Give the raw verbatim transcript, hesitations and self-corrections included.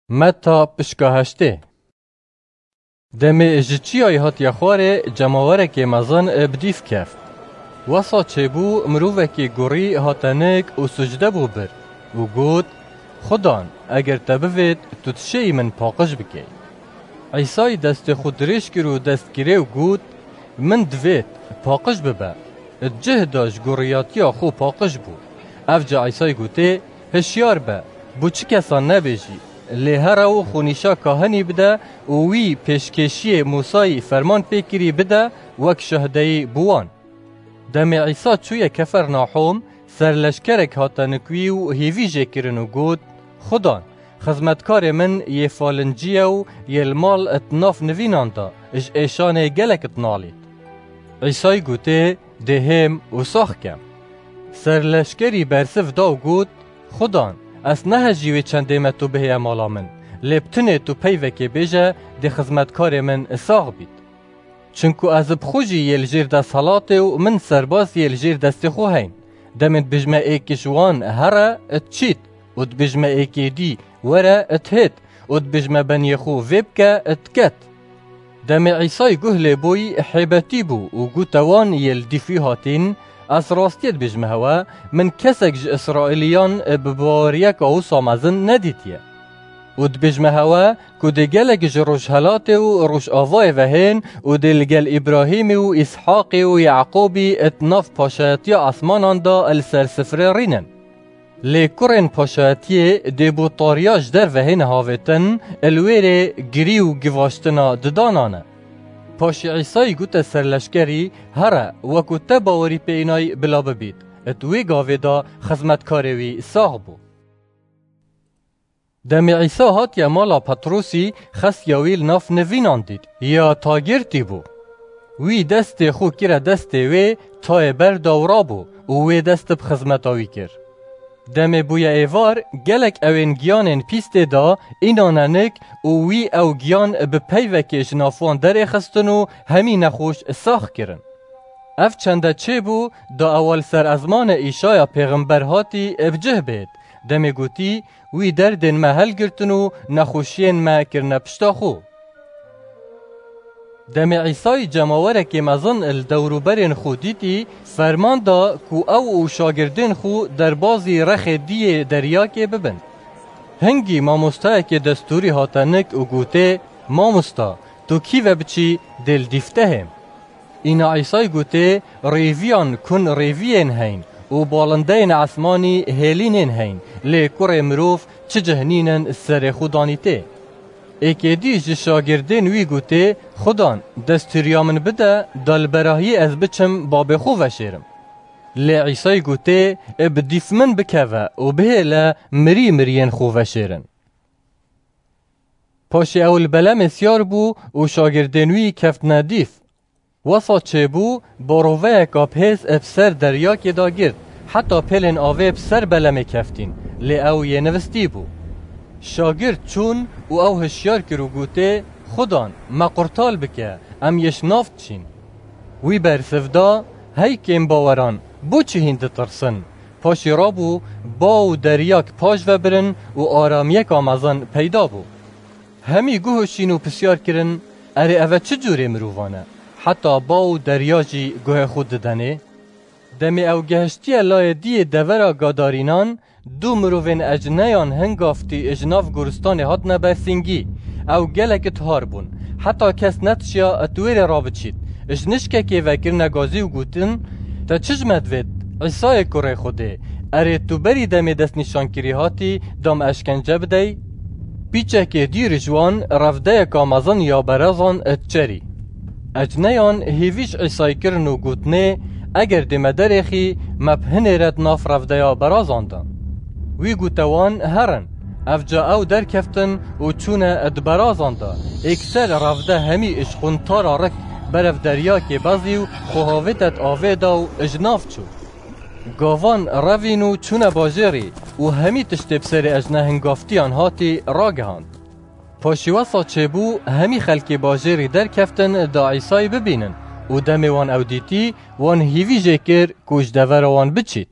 Meta pişka heştê. Demê ji çiyayê hatiye xwarê, cemawerekê mezin bi dîf keft. Wesa çêbû, mirovekî gurî hate nik û sucde bû bir û got, Xudan, eger te bivêt, tu dişêyî min paqij bikey. Îsayî destê xwe dirêj kir û dest kirê û got, Min divêt, paqij bibe. Di cih de ji guriyatiya xwe paqij bû. Ev ca Îsayî gotê, Hişyar be, bo çi kesan nebêjî. Lê here û xwe nîşa kahinî bide û wî pêşkêşiyê Mûsayî ferman pê kirî bide wek şahdeyî bo wan. Demê Îsa çûye Kefernahûm, serleşkerek hate nik wî û hêvî jê kirin û got, Xudan, xizmetkarê min yê falincî ye û yê li mal di nav nivînan de ji êşanê gelek dinalît. Îsayî gotê, Dê hêm û sax kem. Serleşkerî bersiv da û got, Xudan, ez nehejî wê çendê me tu bihêye mala min, lê bi tinê tu peyvekê bêje, dê xizmetkarê min sax bît. Çinku ez bi xwe jî yê li jêr desthilatê û min serbaz yê li jêr destê xwe heyn. Demê dibêjme êkê ji wan here, diçît û dibêjme êkê dî were, dihêt û dibêjme beniyê xwe vê bike, diket. Demê Îsayî guh lê bûyî, hêbetî bû û gote wan yê li dîf wî hatîn, Ez rastiyê dibêjme hewe, min kesek ji Îsraîliyan bi baweriyeka wisa mezin nedîtiye. Û dibêjme hewe ku dê gelek ji rojhelatê û rojavayê ve hên û dê li gel Îbrahîmî û Îshaqê û Yaqûbî di nav paşayetiya esmanan de li ser sifrê rînin. Lê kurên paşayetiyê dê bo tariya ji derve hêne havêtin, li wêrê girî û givaştina didanan e. Paşê Îsayî gote serleşkerî, Here, wekû te bawerî pê înay bila bibît. Di wê gavê de xizmetkarê wî sax bû. Demê Îsa hatiye mala Petrosî, xestiya wî li nav nivînan dît, ya tagirtî bû. Wî destê xwe kire destê wê, tayê berda û rabû û wê dest bi xizmeta wî kir. Demê bûye êvar, gelek ewên giyanên pîs tê de înane nik û wî ew giyan bi peyvekê ji nav wan derêxistin û hemî nexweş sax kirin. Ev çende çêbû, da ewa li ser ezmanê Îşaya pêxember hatî bi cih bêt. Demê gotî, Wî derdên me helgirtin û nexweşiyên me kirine pişta xwe. Demê Îsayî cemawerekê mezin li dewrûberên xwe dîtî, ferman da ku ew û şagirdên xwe derbazî rexê diyê deryakê bibin. Hingî mamostayekê destûrî hate nik û gotê, Mamosta, tu kî ve biçî, dê li dîf te hêm. Îna Îsayî gotê, Rêviyan kun rêviyên heyn û balindeyên esmanî hêlînên heyn, lê kurê mirov çi cih nînin serê xwe danîtê. Êkê dî ji şagirdên wî gotê, Xudan, destûriya min bide, da li berahiyê ez biçim babê xwe veşêrim. Lê Îsayî gotê, Ê bi dîf min bikeve û bihêle mirî miriyên xwe veşêrin. Paşê ew li belemê siyar bû û şagirdên wî keftine dîf. Wesa çêbû, baroveyeka bihêz bi ser deryakê de girt, heta pêlên avê bi ser belemê keftîn, lê ew yê nivistî bû. Şagird çûn û ew hişyar kir û gotê, Xudan, me qurtal bike, em yê ji nav diçîn. Wî bersiv da, Hey kêmbaweran, bo çi hîn ditirsin? Paşê rabû, ba û deryak paş ve birin û aramiyeka mezin peyda bû. Hemî guh şîn û pisyar kirin, Erê, eve çi cûrê mirovan e? Heta ba û derya jî guhê xwe didenê? Demê ew gehiştiye layê diyê devera Gadarînan, du mirovên ecneyan hingaftî ji nav goristanê hatine bersîngî. Ew gelek tihar bûn. Heta kes netişiya di wêrê rabiçît. Ji nişkekê ve kirine gazî û gotin, Te çi ji me divêt, Îsayê kurê Xwedê? Erê, tu berî demê destnîşankirî hatî, da me eşkence bidey? Pîçekê dî ji wan revdeyeka mezin ya berazan diçerî. Ecneyan hêvî ji Îsayî kirin û gotinê, Eger dê me derêxî, me bi hinê re di nav revdeya berazan de. Wî gote wan, Herin. Ev ca ew derkeftin û çûne di berazan de. Êkser revde hemî ji quntara rik berev deryakê bezî û xwe havête di avê de û ji nav çû. Gavan revîn û çûne bajêrî û hemî tiştê bi serê ecne hingaftiyan hatî ragihand. Paşî wesa çêbû, hemî xelkê bajêrî derkeftin da Îsayî bibînin û demê wan ew dîtî, wan hîvî jê kir ku ji devera wan biçît.